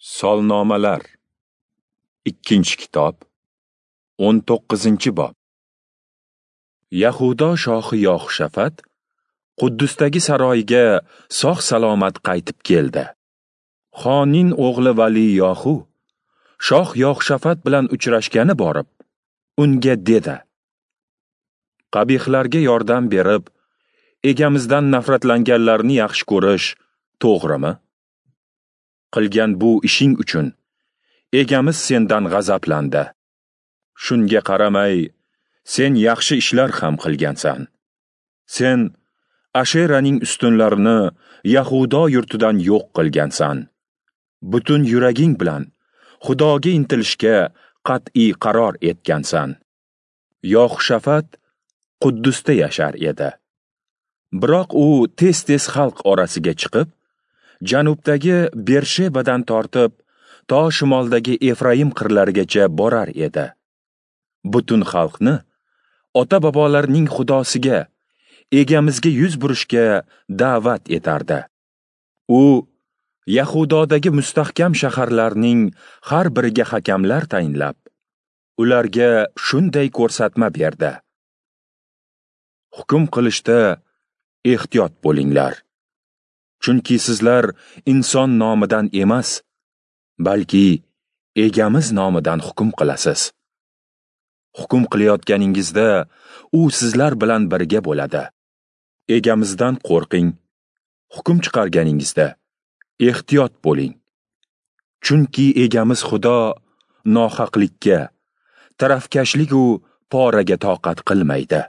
Solnomalar, 2-kitob, 19-bob. Yahudo shohi Yoxshafat Quddusdagi saroyiga sog'-salomat qaytib keldi. Xoning o'g'li Vali Yohu shoh Yoxshafat bilan uchrashgani borib, unga dedi: Qabihlarga yordam berib, egamizdan nafratlanganlarni yaxshi ko'rish to'g'rimi? Qilgan bu ishing uchun egamiz sendan g'azablandi. Shunga qaramay, sen yaxshi ishlar ham qilgansan. Sen Asheraning ustunlarini Yahudo yurtidan yo'q qilgansan. Butun yuraging bilan Xudoga intilishga qat'iy qaror etgansan. Yoxshafat Quddusda yashar edi. Biroq u tez-tez xalq orasiga chiqib, janubdagi Bershebadan tortib to shimoldagi Efraim qirlarigacha borar edi. Butun xalqni ota-bobolarining Xudosiga, egamizga yuz burishga da'vat etardi. U Yahudodagi mustahkam shaharlarning har biriga hakamlar tayinlab, ularga shunday ko'rsatma berdi: Hukm qilishda ehtiyot bo'linglar. Chunki sizlar inson nomidan emas, balki egamiz nomidan hukm qilasiz. Hukm qilayotganingizda u sizlar bilan birga bo'ladi. Egamizdan qo'rqing. Hukm chiqarganingizda ehtiyot bo'ling. Chunki egamiz Xudo nohaqlikka, tarafkashlik u poraga toqat qilmaydi.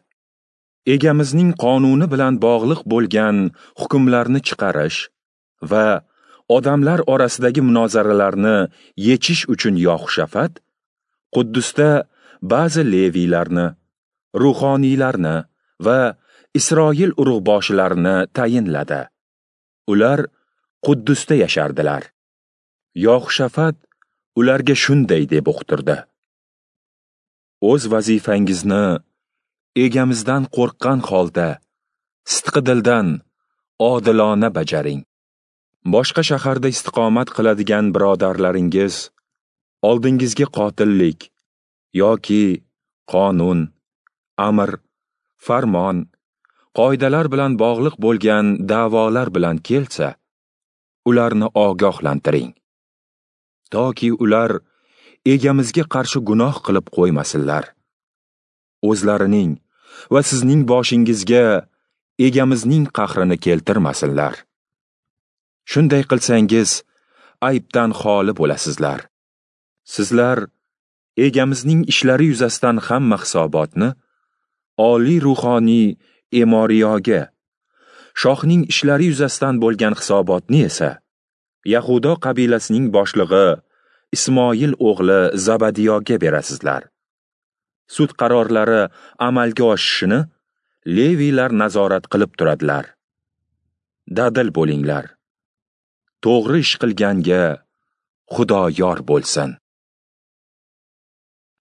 Egamizning qonuni bilan bog'liq bo'lgan hukmlarni chiqarish va odamlar orasidagi munozaralarni yechish uchun Yoxshafat Quddusda ba'zi leviylarni, ruhoniylarni va Isroil urug'boshilarini tayinladi. Ular Quddusda yashardilar. Yoxshafat ularga shunday deb uqtirdi: O'z vazifangizni egamizdan qo'rqqan holda, sidqi dildan odilona bajaring. Boshqa shaharda istiqomat qiladigan birodarlaringiz oldingizga qotillik yoki qonun, amr, farmon, qoidalar bilan bog'liq bo'lgan da'volar bilan kelsa, ularni ogohlantiring. Toki ular egamizga qarshi gunoh qilib qo'ymasinlar. O'zlarining va sizning boshingizga egamizning qahrini keltirmasinlar. Shunday qilsangiz, aybdan xoli bo'lasizlar. Sizlar egamizning ishlari yuzasidan hamma hisobotni oliy ruhoniy Emoriyoga, shohning ishlari yuzasidan bo'lgan hisobotni esa Yahudo qabilasining boshlig'i Ismoil o'g'li Zabadiyoga berasizlar. Sud qarorlari amalga oshishini leviylar nazorat qilib turadilar. Dadil bo'linglar. To'g'ri ish qilganga Xudo yor bo'lsin.